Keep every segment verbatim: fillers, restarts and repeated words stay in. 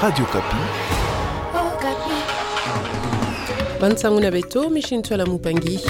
Radio Okapi. Bansangu na beto, Michel Ntwala Mupangi.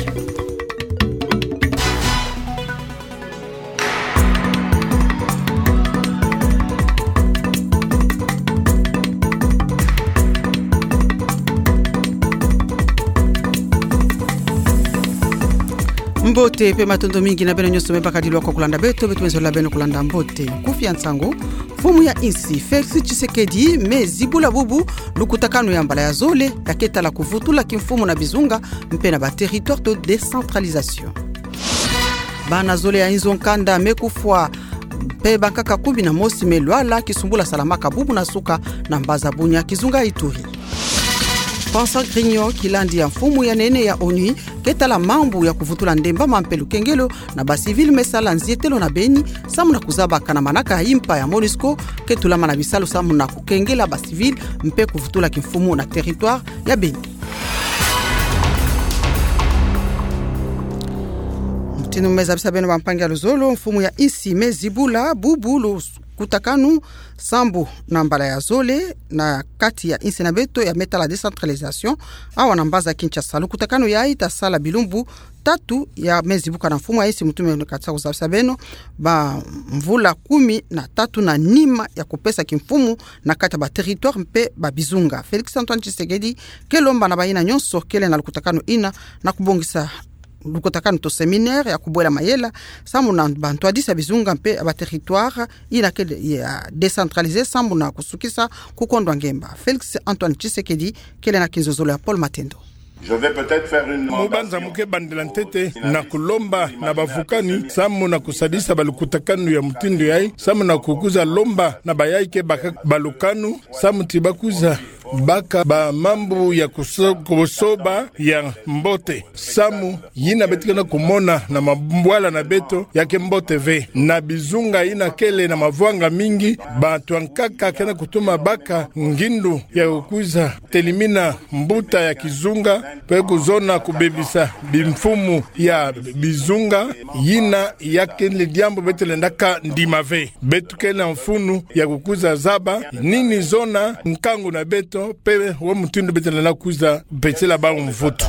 Mbote mpe matondo mingi na beno nyonso me bakadi lwaka kulanda beto, beto me zola beno kulanda mbote. Nkufi ya nsangu. Mfumu ya insi Félix Tshisekedi me zibula bubu lukutakanu ya mbala ya zole ya keta la kuvutula kimfumu na bizunga mpe na ba territoires de décentralisation. Bana zole ya inzo nkanda me kufwa mpe bankaka kumi na mosi me lwala kisumbula salamaka bubu na suka na mbaza Bunia, kizunga Ituri. François Grignon, kilandi ya mfumu ya nene ya ONU, keta la mambu ya kuvutula ndembama mpe lukengelo na ba civils me sala nzietelo na Beni, samu na kuzabaka na manaka ya impa ya MONUSCO, ketulama na bisalu samu na kukengela ba civils mpe kuvutula kimfumu na territoire ya Beni. Mutindu me zabisa beno bampangi ya luzolo, mfumu ya insi me zibula bubu lukutakanu sambu na mbala ya zole na kati ya insi na beto ya me tala décentralisation, awa na mbaza Kinshasa. Lukutakanu yayi ta sala bilumbu tatu ya me zibuka na mfumu ya insi. Mutindu me kata kuzabisa beno, ba mvula kumi na tatu na nima ya kupesa kimfumu na kati ya ba territoires mpe ba bizunga. Félix Antoine Tshisekedi ke lomba na bayina nyonso kele na lukutakanu yina na kubongisa lukutakanu to séminaire ya kubwela mayela samu na bantwadisa bizunga mpe ba territoires yina kele ya décentralisé samu na kusukisa kukondwa ngemba. Félix Antoine Tshisekedi kele na kinzozolo ya Paul Matendo. Je vais peut-être faire une... Mu banza mu ke bandela ntete na kulomba na bavukani samu na kusadisa balukutakanu ya mutindu yayi, samu na kukuza lomba na bayayi ke baka balukanu, samu ti bakuza baka ba mambu ya kuso-, kusoba ya mbote. Samu yina beto ke na kumona na mabwala na beto ya ke mbote ve. Na bizunga yina kele na mavwanga mingi, bantu ya nkaka ke na kutuma baka ngindu ya kukuza telimina mbuta ya kizunga, mpe kuzona kubebisa bimfumu ya bizunga. Yina ya kele diambu beto lenda ka ndima ve. Beto ke na mfunu ya kukuza zaba nini zona nkangu na beto, mpe wa mutindu beto lenda kuza pesela bau mvutu.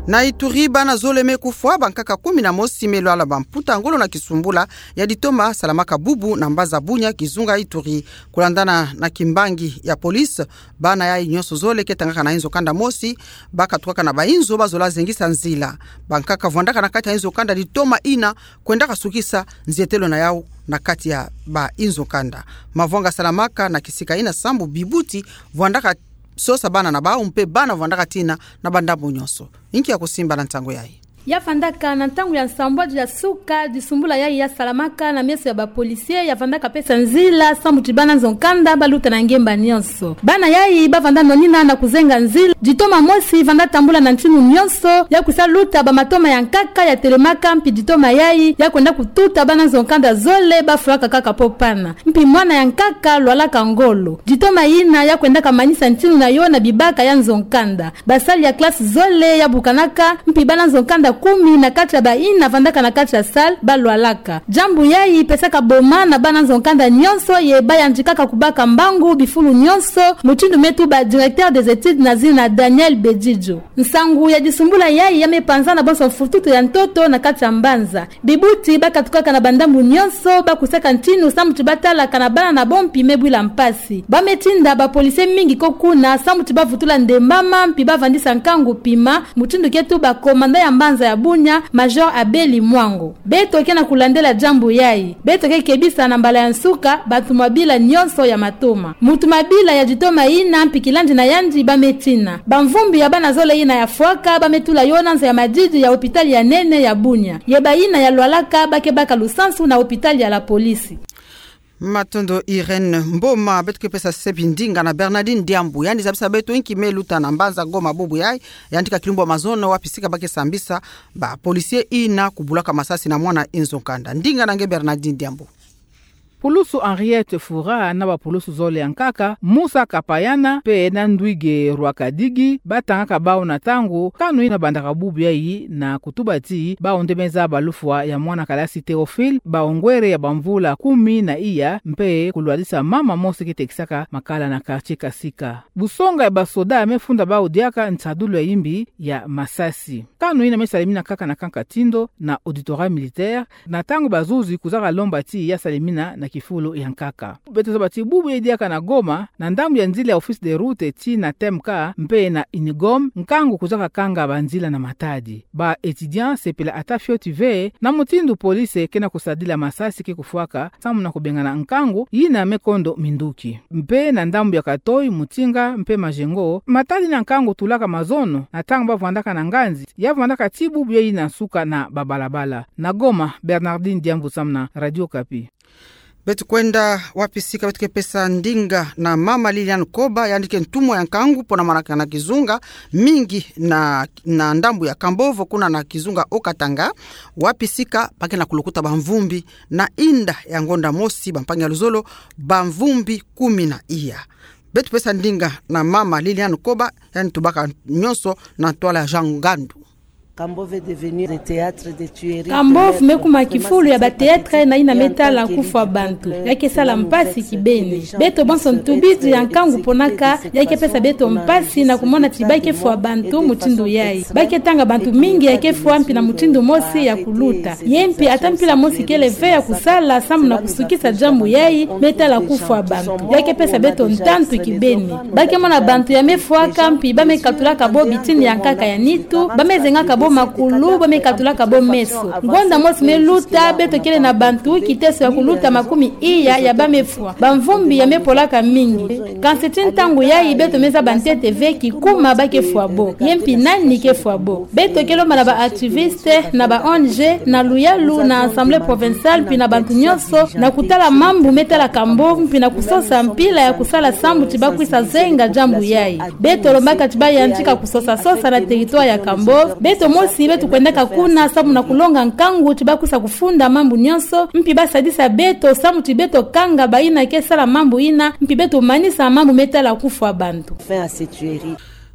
Na Ituri, bana zole me kufwa, bankaka kumi na mosi me lwala, bamputa ngolo na kisumbula ya ditoma salamaka bubu na mbaza Bunia, kizunga Ituri. Kulandana na kimbangi ya police, bana yayi nyonso zole ke tangaka na inzo kanda mosi, bakatukaka na ba inzo bazola zengisa nzila. Bankaka vwandaka na kati ya inzo kanda ditoma yina kwendaka sukisa nzietelo na yau na kati ya ba inzo kanda. Mavwanga salamaka na kisika yina sambu bibuti vwandaka sosa bana na bau mpe bana vwandaka tina na bandambu nyonso. Inki ya kusimba na ntangu yayi? Ya vandaka na ntangu ya nsambwadi ya suka, disumbula yayi ya salamaka na meso ya ba policiers, ya vandaka pesa nzila sambu ti bana nzo nkanda baluta na ngemba nyonso. Bana yayi bavanda nonina na kuzenga nzila, ditoma mosi vanda tambula na ntinu nyonso, ya kusa luta ba matoma ya nkaka ya telemaka, mpi ditoma yayi ya kwenda kututa bana nzo nkanda zole bafwaka kaka popana. Mpi mwana ya nkaka lwalaka ngolo. Ditoma yina ya kwendaka manisa ntinu na yo na bibaka ya nzo nkanda. Basali ya classe zole ya bukanaka, mpi bana nzo nkanda kumi na kati ya bayina vandaka na kati ya salle balwalaka. Diambu yayi pesaka boma na bana nzo nkanda nyonso, ye bayandikaka kubaka mbangu bifulu nyonso, mutindu me tuba directeur des études na zina Daniel Bedidjo. Nsangu ya disumbula yayi ya me panza na bonso mfututu ya ntoto na kati ya mbanza. Bibuti bakatukaka na bandambu nyonso, bakusaka ntinu sambu ti batalaka na bana na bo, mpi me bwila mpasi. Ba me tinda ba policiers mingi ko kuna sambu ti bavutula ndembama, mpi bavandisa nkangu pima, mutindu ke tuba commandant ya mbanza ya Bunia, Major Abeli Mwango. Beto ke na kulandela diambu yayi. Beto ke kebisa na mbala ya nsuka batumabila nyonso ya matoma. Mutumabila ya ditoma yina mpi kilandi na yandi ba me tina. Bamvumbi ya bana zole yina ya fwaka ba me tula yo na nza ya madidi ya hôpital ya nene ya Bunia. Ye bayina ya lwalaka ba ke baka lusansu na hôpital ya la police. Matondo Irène Mboma. Beto ke pesa sepi ndinga na Bernardine Diambu. Yandi zabisa beto inki me luta na mbanza Goma bubu yayi, yandi ka kilumbu ya mazono, wapi sika ba ke sambisa ba policiers yina kubulaka masasi na mwana nzo nkanda. Ndinga na nge Bernardine Diambu. Pulusu Henriette Fura na bapulusu zole ya nkaka, Musa Kapayana mpe na Ndwige Rwakadigi, batangaka bawu na ntangu kano ina bandaka bubu yayi na kutuba ti bawu nde me zaba lufwa ya mwana kalasi Théophile, bongwere ya bamvula kumi na iya, mpe kulwadisa mama mosi ke tekisaka makala na quartier Kasika. Busonga ya basoda me funda bawu diaka nsadulu ya imbi ya masasi. Kano ina me salemina nkaka na kanka tindo na auditorat militaire, na ntangu bazuzi kuzaka lomba ti ya salemina na kifulu ya nkaka. Beto zaba ti bubu yayi diaka na Goma, na ndambu ya nzila ya Office des Routes tii na T M K mpe na Unigom, nkangu kuzaka kanga banzila na matadi. Ba étudiants sepela ata fioti ve na mutindu police ke na kusadila masasi ke kufwaka, samu na kubengana nkangu yina me kondo minduki. Mpe na ndambu ya Katoi, Mutinga mpe Majengo, matadi na nkangu tulaka mazono, na ntangu bavwandaka na nganzi, ya vwandaka ti bubu yayi na nsuka na babalabala. Na Goma, Bernardine Diambu samu na Radio Okapi. Beto kwenda wapi sika, beto ke pesa ndinga na mama Liliane Koba, yandi ke ntumwa ya nkangu pona manaka na kizunga mingi na, na ndambu ya Kambovo kuna na kizunga Haut-Katanga, wapi sika ba ke na kulukuta bamvumbi na inda ya ngonda mosi, bampangi ya luzolo, bamvumbi kumi na iya. Beto pesa ndinga na mama Liliane Koba, yandi tubaka nyonso na ntwala ya Jean Ngandu. Kambovo me kuma kifulu ya ba théâtre na ina me tala kufwa bantu. Ya ke sala mpasi kibeni. Beto banso ntubidi ya nkangu ponaka, ya ke pesa beto mpasi na kumona ti ba ke fwa bantu mutindu yayi. Ba ke tanga bantu mingi ya ke fwa mpi na mutindu mosi ya kuluta. Ye mpi ata mpila mosi kele ve ya kusala samu na kusukisa diambu yayi me tala kufwa bantu. Ya ke pesa beto ntantu kibeni. Ba ke mona bantu ya me fwaka mpi ba me katulaka bo bitini ya nkaka ya nitu, ba me zengaka bo makulu, ba me katulaka bo meso. Ngonda mosi me luta, beto kele na bantu kiteso ya kuluta makumi iya ya ba me fwa. Bamvumbi ya me polaka mingi. Kansi ti ntangu yayi beto me zaba ntete ve kikuma ba ke fwa bo. Ye mpi nani ke fwa bo. Beto ke lomba na ba activistes, na ba O N G, na luyalu, na Assemblée provinciale, mpi na bantu nyonso, na kutala mambu me tala Kambovo, mpi na kusosa mpila ya kusala samu ti ba kwisa zenga diambu yayi. Beto lombaka ti ba yantika kusosa-sosa na territoire ya Kambovo. Beto mosi, beto kwendaka kuna samu na kulonga nkangu ti ba kwisa kufunda mambu nyonso, mpi ba sadisa beto samu ti beto kanga bayina ke sala mambu yina, mpi beto manisa mambu me tala kufwa bantu.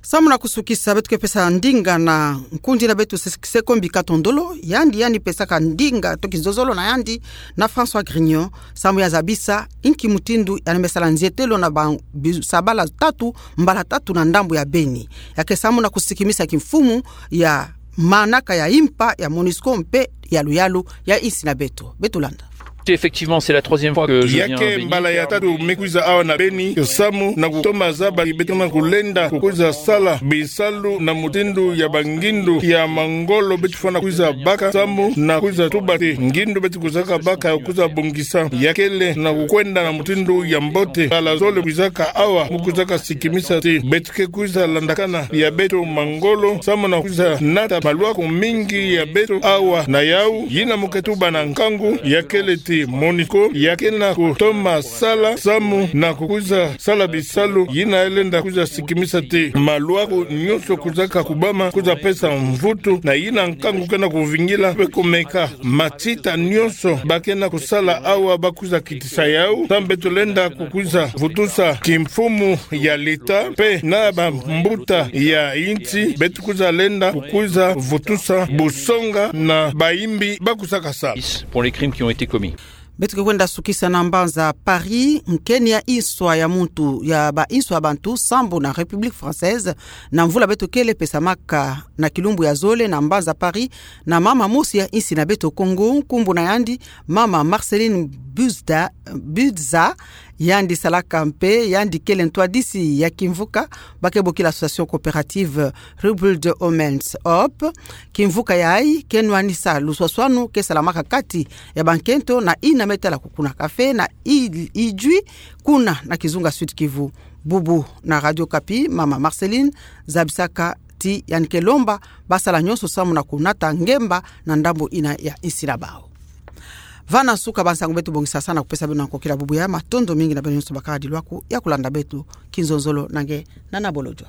Samu na kusukisa, beto ke pesa ndinga na nkundi na beto Se-, Sekombi Katondolo, yandi, yandi pesaka ndinga to kizozolo na yandi na François Grignon, samu ya zabisa inki mutindu yandi me sala nzietelo na ba bi-, sabala tatu, mbala tatu na ndambu ya Beni. Ya ke samu na kusikimisa kimfumu ya manaka ya impa ya MONUSCO mpe ya luyalu ya insi na beto. Beto landa. Effectivement, c'est la troisième fois que je viens à Beni. Ya ke mbala ya tatu me kwiza awa na Beni, samu na kutoma zaba ti beto na kulenda kukwiza sala bisalu na mutindu ya bangindu ya mangolo beto fwana kwiza baka, samu na kwiza tuba ti ngindu beto kwizaka baka kwiza bongisa ya kele na kukwenda na mutindu ya mbote. Mbala zole kwizaka awa, mu kwizaka sikimisa ti beto ke kwiza landakana ya beto mangolo, samu na kwiza nata malwaku mingi ya beto awa na yawu. Yina mu ke tuba na nkangu ya kele ti MONUSCO ya ke na kutoma sala, samu na kukwiza sala bisalu yina ya lenda kwiza sikimisa ti malwaku nyonso kwizaka kubama, kwiza pesa mvutu, na yina nkangu ke na kuvingila mpe kumeka matita nyonso ba ke na kusala awa ba kwiza kitisa yawu, samu beto lenda kukwiza vutusa kimfumu ya leta mpe na bambuta ya insi, beto kwiza lenda kukwiza vutusa busonga na bayimbi ba kwizaka sala. Pour les crimes qui ont été commis. Beto ke kwenda sukisa na mbanza Paris, nkeni ya inswa ya muntu, ya ba inswa ya bantu sambu na République française, na mvula beto kele pesamaka na kilumbu ya zole na mbanza Paris, na mama mosi ya insi na beto Congo, nkumbu na yandi mama Marceline Buzda, Buzza, yandi salaka mpe, yandi kele ntwadisi ya kimvuka ba ke bokila Association Coopérative Rebuild Women's Hope. Kimvuka yayi ke nwanisa luswaswanu ke salamaka kati ya bankento na yina me tala kukuna kafe na i-, ijwi kuna na kizunga Sud-Kivu. Bubu na Radio Okapi, mama Marceline zabisaka ti yandi ke lomba ba sala nyonso samu na kunata ngemba na ndambu yina ya insi na bawu. Va na nsuka ba nsangu beto bongisaka na kupesa beno na nkokila bubu yayi. Matondo mingi na beno nyonso bakala dilwaku ya kulanda beto. Kinzonzolo na nge Nana Bolodjwa.